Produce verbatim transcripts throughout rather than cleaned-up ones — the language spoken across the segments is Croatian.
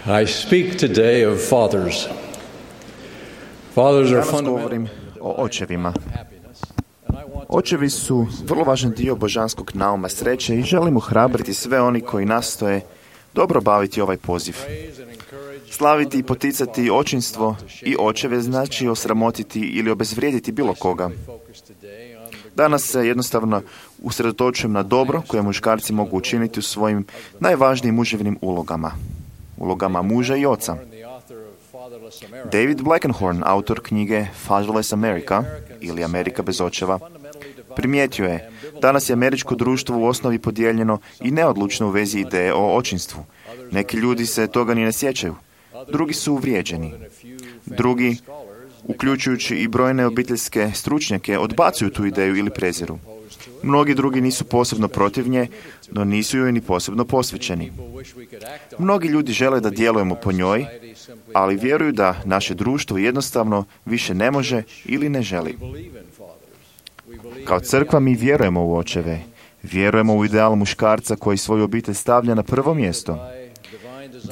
I speak today of fathers. Fathers are Danas govorim o očevima. Očevi su vrlo važan dio božanskog nauma sreće i želim ohrabriti sve oni koji nastoje dobro baviti ovaj poziv. Slaviti i poticati očinstvo i očeve znači osramotiti ili obezvrijediti bilo koga. Danas se jednostavno usredotočujem na dobro koje muškarci mogu učiniti u svojim najvažnijim muževnim ulogama. Ulogama muža i oca. David Blankenhorn, autor knjige Fatherless America, ili Amerika bez očeva, primijetio je, danas je američko društvo u osnovi podijeljeno i neodlučno u vezi ideje o očinstvu. Neki ljudi se toga ni ne sjećaju. Drugi su uvrijeđeni. Drugi, uključujući i brojne obiteljske stručnjake, odbacuju tu ideju ili preziru. Mnogi drugi nisu posebno protiv nje, no nisu joj ni posebno posvećeni. Mnogi ljudi žele da djelujemo po njoj, ali vjeruju da naše društvo jednostavno više ne može ili ne želi. Kao crkva mi vjerujemo u očeve. Vjerujemo u ideal muškarca koji svoju obitelj stavlja na prvo mjesto.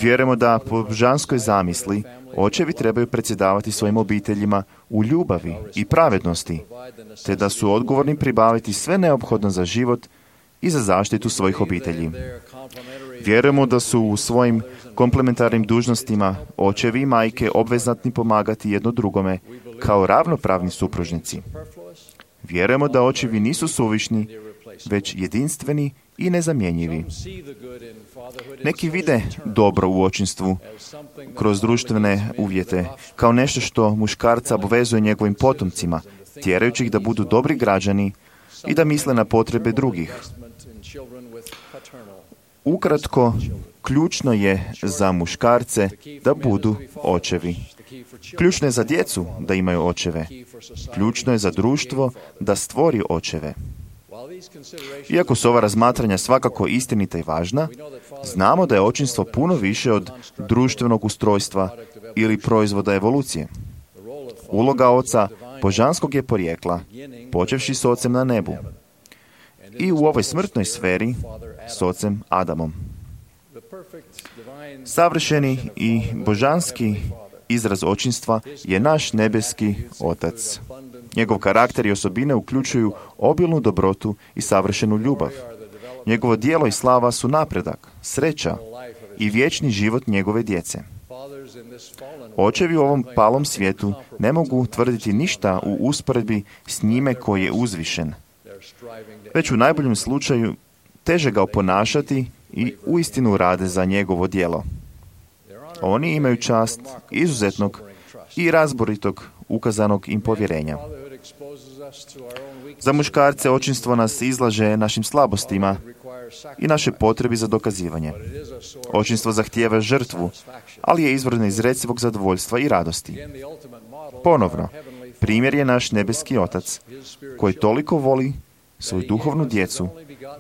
Vjerujemo da po božanskoj zamisli očevi trebaju predsjedavati svojim obiteljima u ljubavi i pravednosti, te da su odgovorni pribaviti sve neophodno za život i za zaštitu svojih obitelji. Vjerujemo da su u svojim komplementarnim dužnostima očevi i majke obvezatni pomagati jedno drugome kao ravnopravni supružnici. Vjerujemo da očevi nisu suvišni, već jedinstveni i nezamjenjivi. Neki vide dobro u očinstvu kroz društvene uvjete kao nešto što muškarca obvezuje njegovim potomcima, tjerajući ih da budu dobri građani i da misle na potrebe drugih. Ukratko, ključno je za muškarce da budu očevi. Ključno je za djecu da imaju očeve. Ključno je za društvo da stvori očeve. Iako su ova razmatranja svakako istinita i važna, znamo da je očinstvo puno više od društvenog ustrojstva ili proizvoda evolucije. Uloga oca božanskog je porijekla, počevši s ocem na nebu. I u ovoj smrtnoj sferi s ocem Adamom. Savršeni i božanski izraz očinstva je naš nebeski Otac. Njegov karakter i osobine uključuju obilnu dobrotu i savršenu ljubav. Njegovo djelo i slava su napredak, sreća i vječni život njegove djece. Očevi u ovom palom svijetu ne mogu tvrditi ništa u usporedbi s njime koji je uzvišen. Već u najboljem slučaju teže ga oponašati i uistinu rade za njegovo djelo. Oni imaju čast izuzetnog i razboritog ukazanog im povjerenja. Za muškarce očinstvo nas izlaže našim slabostima i naše potrebi za dokazivanje. Očinstvo zahtijeva žrtvu, ali je izvor neizrecivog zadovoljstva i radosti. Ponovno, primjer je naš nebeski Otac, koji toliko voli svoju duhovnu djecu,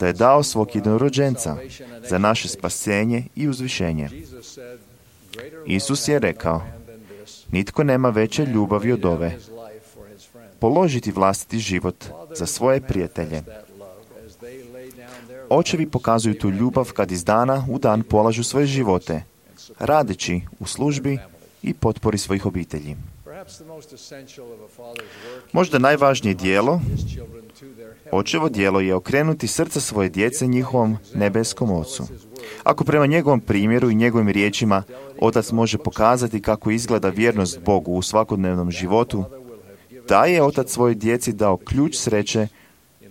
da je dao svog jednorođenca za naše spasenje i uzvišenje. Isus je rekao, nitko nema veće ljubavi od ove, položiti vlastiti život za svoje prijatelje. Očevi pokazuju tu ljubav kad iz dana u dan polažu svoje živote, radeći u službi i potpori svojih obitelji. Možda najvažnije dijelo, očevo dijelo je okrenuti srca svoje djece njihovom nebeskom Ocu. Ako prema njegovom primjeru i njegovim riječima Otac može pokazati kako izgleda vjernost Bogu u svakodnevnom životu, da je Otac svojoj djeci dao ključ sreće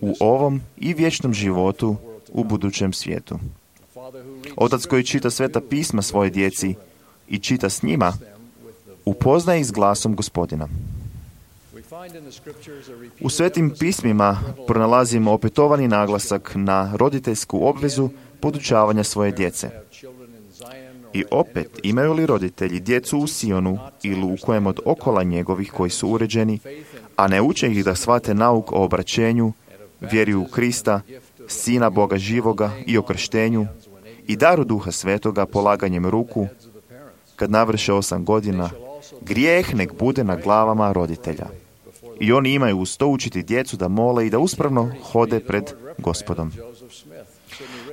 u ovom i vječnom životu u budućem svijetu. Otac koji čita sveta pisma svoje djeci i čita s njima, upoznaje ih s glasom Gospodina. U svetim pismima pronalazimo opetovani naglasak na roditeljsku obvezu podučavanja svoje djece. I opet, imaju li roditelji djecu u Sionu ili u kojem od okola njegovih koji su uređeni, a ne uče ih da shvate nauk o obraćenju, vjeri u Krista, Sina Boga živoga i o krštenju i daru Duha Svetoga polaganjem ruku, kad navrše osam godina, grijeh nek bude na glavama roditelja. I oni imaju uz to učiti djecu da mole i da uspravno hode pred Gospodom.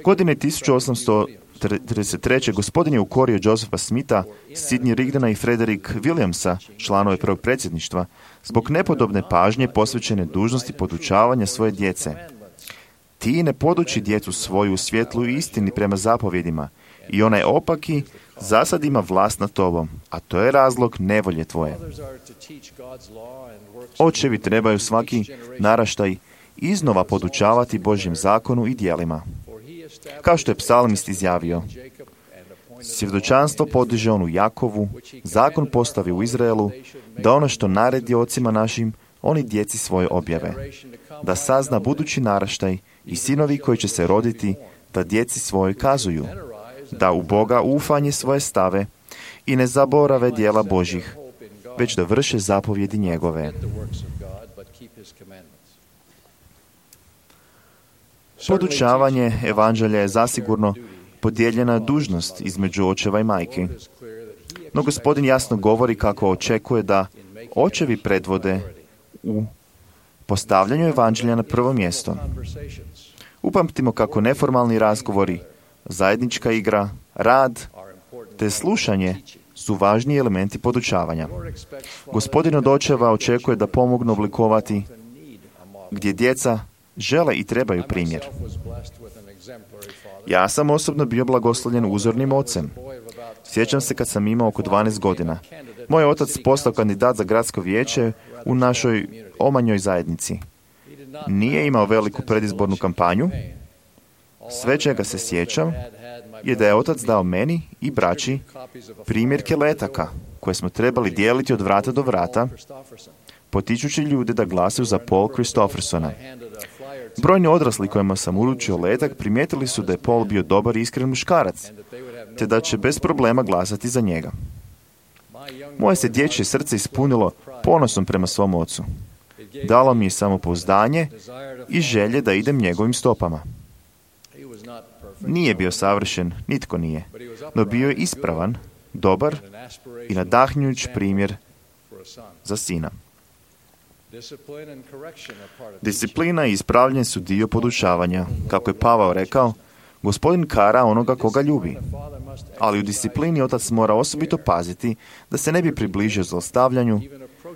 Godine tisuću osamsto trideset treće Gospodin je ukorio Josepha Smitha, Sidney Rigdona i Frederick Williamsa, članove prvog predsjedništva, zbog nepodobne pažnje posvećene dužnosti podučavanja svoje djece. Ti ne poduči djecu svoju u svjetlu i istini prema zapovjedima, i onaj opaki zasad ima vlast nad tobom, a to je razlog nevolje tvoje. Očevi trebaju svaki naraštaj iznova podučavati Božjem zakonu i djelima. Kao što je psalmist izjavio, svjedočanstvo podiže on u Jakovu, zakon postavi u Izraelu, da ono što naredi ocima našim, oni djeci svoje objave. Da sazna budući naraštaj i sinovi koji će se roditi, da djeci svoje kazuju. Da u Boga ufanje svoje stave i ne zaborave djela Božjih, već da vrše zapovjedi njegove. Podučavanje evanđelja je zasigurno podijeljena dužnost između očeva i majki. No Gospodin jasno govori kako očekuje da očevi predvode u postavljanju evanđelja na prvo mjesto. Upamtimo kako neformalni razgovori, zajednička igra, rad te slušanje su važni elementi podučavanja. Gospodin od očeva očekuje da pomognu oblikovati gdje djeca žele i trebaju primjer. Ja sam osobno bio blagoslovljen uzornim ocem. Sjećam se kad sam imao oko dvanaest godina. Moj otac postao kandidat za gradsko vijeće u našoj omanjoj zajednici. Nije imao veliku predizbornu kampanju. Sve čega se sjećam je da je otac dao meni i braći primjerke letaka koje smo trebali dijeliti od vrata do vrata, potičući ljude da glasuju za Paul Christophersona. Brojni odrasli kojima sam uručio letak primijetili su da je Paul bio dobar i iskren muškarac, te da će bez problema glasati za njega. Moje se dječje srce ispunilo ponosom prema svom ocu. Dalo mi je samopouzdanje i želje da idem njegovim stopama. Nije bio savršen, nitko nije, no bio je ispravan, dobar i nadahnjujuć primjer za sina. Disciplina i ispravljanje su dio podučavanja. Kako je Pavao rekao, Gospodin kara onoga koga ljubi. Ali u disciplini otac mora osobito paziti da se ne bi približio zlostavljanju,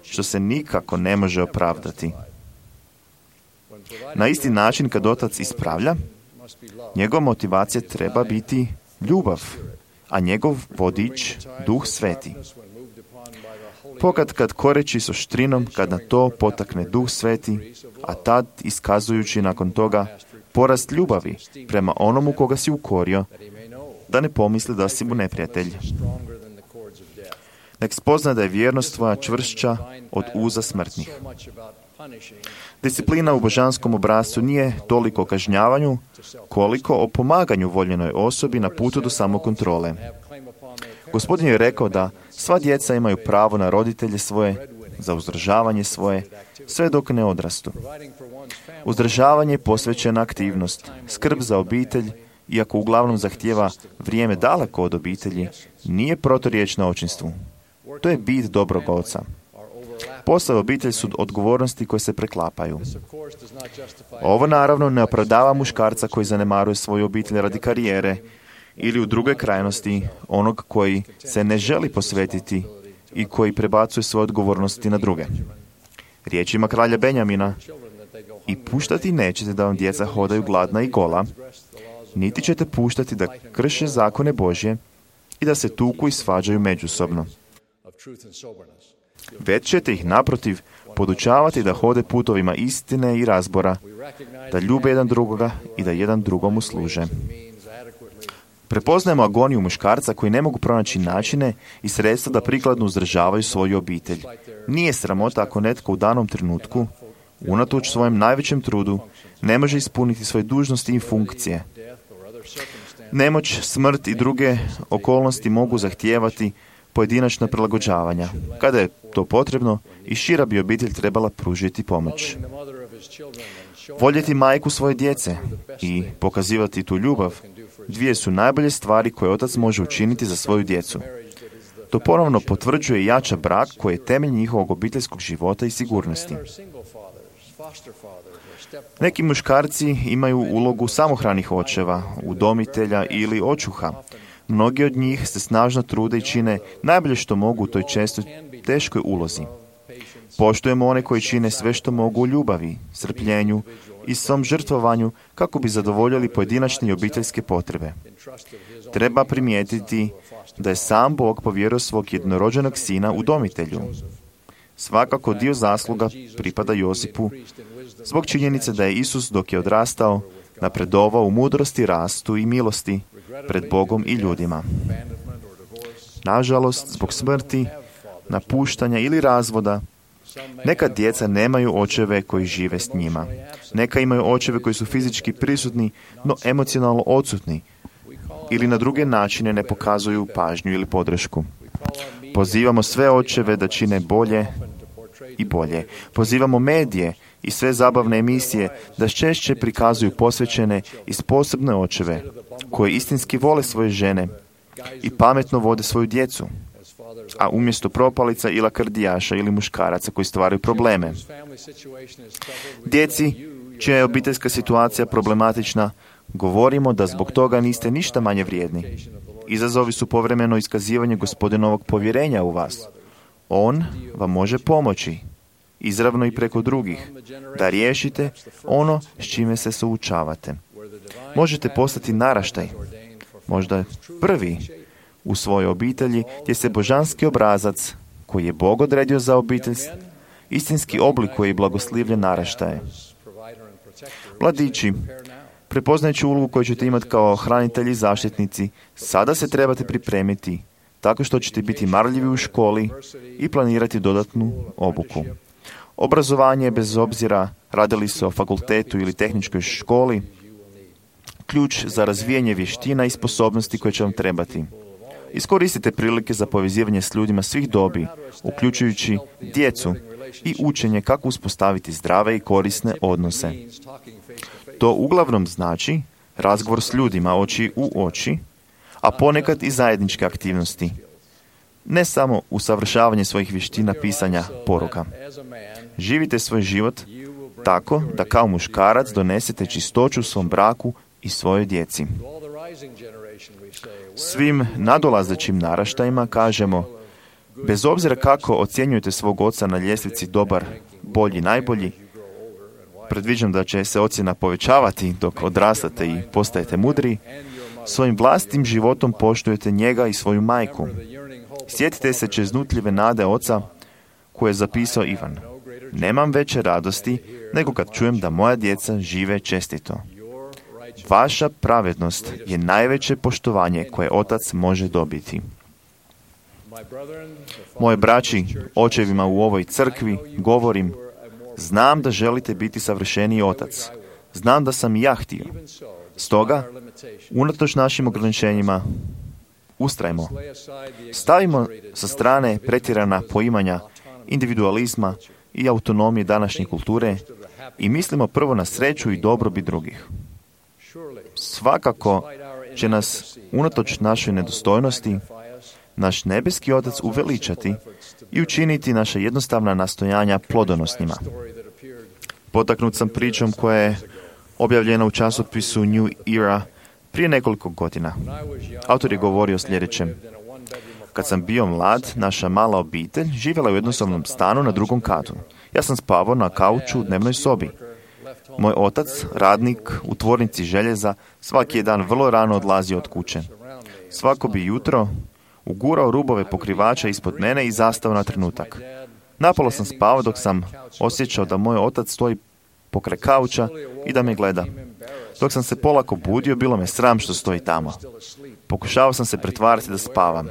što se nikako ne može opravdati. Na isti način kad otac ispravlja, njegova motivacija treba biti ljubav, a njegov vodič Duh Sveti. Pokad kad koreći s oštrinom, kad na to potakne Duh Sveti, a tad iskazujući nakon toga porast ljubavi prema onomu koga si ukorio, da ne pomisli da si mu neprijatelj. Nek spozna da je vjernost tvoja čvršća od uza smrtnih. Disciplina u božanskom obrascu nije toliko o kažnjavanju, koliko o pomaganju voljenoj osobi na putu do samokontrole. Gospodin je rekao da sva djeca imaju pravo na roditelje svoje, za uzdržavanje svoje, sve dok ne odrastu. Uzdržavanje je posvećena aktivnost, skrb za obitelj, iako uglavnom zahtijeva vrijeme daleko od obitelji, nije proturječna očinstvu. To je bit dobrog oca. Posao i obitelj su odgovornosti koje se preklapaju. Ovo naravno ne opravdava muškarca koji zanemaruje svoju obitelj radi karijere ili u drugoj krajnosti onog koji se ne želi posvetiti i koji prebacuje svoje odgovornosti na druge. Riječima kralja Benjamina: i puštati nećete da vam djeca hodaju gladna i gola, niti ćete puštati da krše zakone Božje i da se tuku i svađaju međusobno. Već ćete ih naprotiv podučavati da hode putovima istine i razbora, da ljube jedan drugoga i da jedan drugomu služe. Prepoznajemo agoniju muškarca koji ne mogu pronaći načine i sredstva da prikladno uzdržavaju svoju obitelj. Nije sramota ako netko u danom trenutku, unatoč svojem najvećem trudu, ne može ispuniti svoje dužnosti i funkcije. Nemoć, smrt i druge okolnosti mogu zahtijevati pojedinačna prilagođavanja. Kada je to potrebno, i šira bi obitelj trebala pružiti pomoć. Voljeti majku svoje djece i pokazivati tu ljubav, dvije su najbolje stvari koje otac može učiniti za svoju djecu. To ponovno potvrđuje i jača brak koji je temelj njihovog obiteljskog života i sigurnosti. Neki muškarci imaju ulogu samohranih očeva, udomitelja ili očuha. Mnogi od njih se snažno trude i čine najbolje što mogu u toj često teškoj ulozi. Poštujemo one koji čine sve što mogu u ljubavi, strpljenju i svom žrtvovanju kako bi zadovoljili pojedinačne i obiteljske potrebe. Treba primijetiti da je sam Bog povjerio svog jednorođenog sina udomitelju. Svakako dio zasluga pripada Josipu zbog činjenice da je Isus dok je odrastao napredovao u mudrosti, rastu i milosti pred Bogom i ljudima. Nažalost, zbog smrti, napuštanja ili razvoda, neka djeca nemaju očeve koji žive s njima. Neka imaju očeve koji su fizički prisutni, no emocionalno odsutni ili na druge načine ne pokazuju pažnju ili podršku. Pozivamo sve očeve da čine bolje i bolje. Pozivamo medije i sve zabavne emisije da češće prikazuju posvećene i sposobne očeve koji istinski vole svoje žene i pametno vode svoju djecu, a umjesto propalica i lakrdijaša ili muškaraca koji stvaraju probleme. Djeci, čija je obiteljska situacija problematična, govorimo da zbog toga niste ništa manje vrijedni. Izazovi su povremeno iskazivanje Gospodinovog povjerenja u vas. On vam može pomoći, izravno i preko drugih, da riješite ono s čime se suočavate. Možete postati naraštaj, možda prvi u svojoj obitelji, gdje se božanski obrazac, koji je Bog odredio za obitelj, istinski oblikuje i blagoslivlje naraštaje. Mladići, prepoznajući ulogu koju ćete imati kao hranitelji i zaštitnici, sada se trebate pripremiti tako što ćete biti marljivi u školi i planirati dodatnu obuku. Obrazovanje, bez obzira radili se o fakultetu ili tehničkoj školi, ključ za razvijanje vještina i sposobnosti koje će vam trebati. Iskoristite prilike za povezivanje s ljudima svih dobi, uključujući djecu i učenje kako uspostaviti zdrave i korisne odnose. To uglavnom znači razgovor s ljudima oči u oči, a ponekad i zajedničke aktivnosti. Ne samo usavršavanje svojih vještina pisanja poruka. Živite svoj život tako da kao muškarac donesete čistoću u svom braku i svojoj djeci. Svim nadolazećim naraštajima kažemo, bez obzira kako ocjenjujete svog oca na ljestvici dobar, bolji, najbolji, predviđam da će se ocjena povećavati dok odrastate i postajete mudri, svojim vlastitim životom poštujete njega i svoju majku. Sjetite se čeznutljive nade oca koje je zapisao Ivan. Nemam veće radosti nego kad čujem da moja djeca žive čestito. Vaša pravednost je najveće poštovanje koje otac može dobiti. Moje braći, očevima u ovoj crkvi, govorim, znam da želite biti savršeniji otac. Znam da sam i ja htio. Stoga, unatoč našim ograničenjima, ustrajmo. Stavimo sa strane pretjerana poimanja individualizma i autonomije današnje kulture i mislimo prvo na sreću i dobrobit drugih. Svakako će nas, unatoč našoj nedostojnosti, naš nebeski Otac uveličati i učiniti naša jednostavna nastojanja plodonosnima. Potaknut sam pričom koja je objavljena u časopisu New Era prije nekoliko godina. Autor je govorio sljedećem. Kad sam bio mlad, naša mala obitelj živjela u jednosobnom stanu na drugom katu. Ja sam spavao na kauču u dnevnoj sobi. Moj otac, radnik u tvornici željeza, svaki je dan vrlo rano odlazio od kuće. Svako bi jutro ugurao rubove pokrivača ispod mene i zastao na trenutak. Napolo sam spavao dok sam osjećao da moj otac stoji pokraj kauča i da me gleda. Dok sam se polako budio, bilo me sram što stoji tamo. Pokušavao sam se pretvarati da spavam.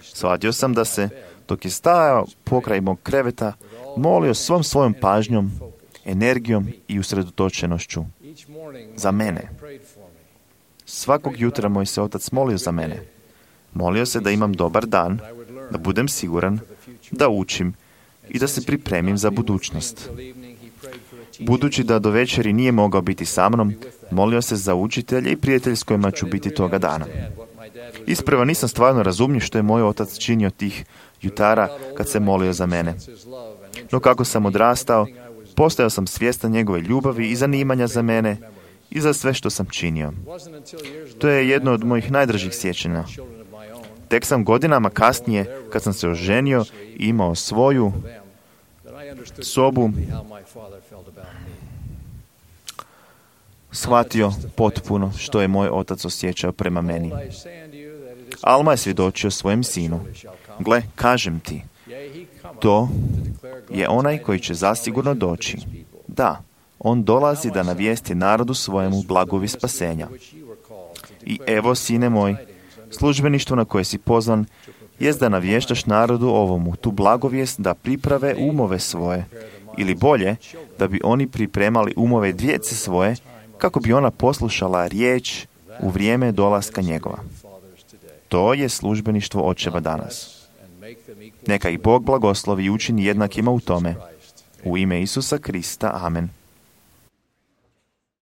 Shvatio sam da se, dok je stajao pokraj mog kreveta, molio svom svojom pažnjom, energijom i usredotočenošću za mene. Svakog jutra moj se otac molio za mene. Molio se da imam dobar dan, da budem siguran, da učim i da se pripremim za budućnost. Budući da do večeri nije mogao biti sa mnom, molio se za učitelje i prijatelje s kojima ću biti toga dana. Isprva nisam stvarno razumio što je moj otac činio tih jutara kad se molio za mene. No kako sam odrastao, Postajao sam svjestan njegove ljubavi i zanimanja za mene i za sve što sam činio. To je jedno od mojih najdražih sjećanja. Tek sam godinama kasnije, kad sam se oženio i imao svoju sobu, shvatio potpuno što je moj otac osjećao prema meni. Alma je svjedočio svojem sinu. Gle, kažem ti, to je onaj koji će zasigurno doći. Da, on dolazi da navijesti narodu svojemu blagovi spasenja. I evo, sine moj, službeništvo na koje si pozvan jest da navještaš narodu ovomu tu blagovijest da priprave umove svoje, ili bolje, da bi oni pripremali umove djece svoje, kako bi ona poslušala riječ u vrijeme dolaska njegova. To je službeništvo očeva danas. Neka ih Bog blagoslovi i učini jednakima u tome. U ime Isusa Krista, amen.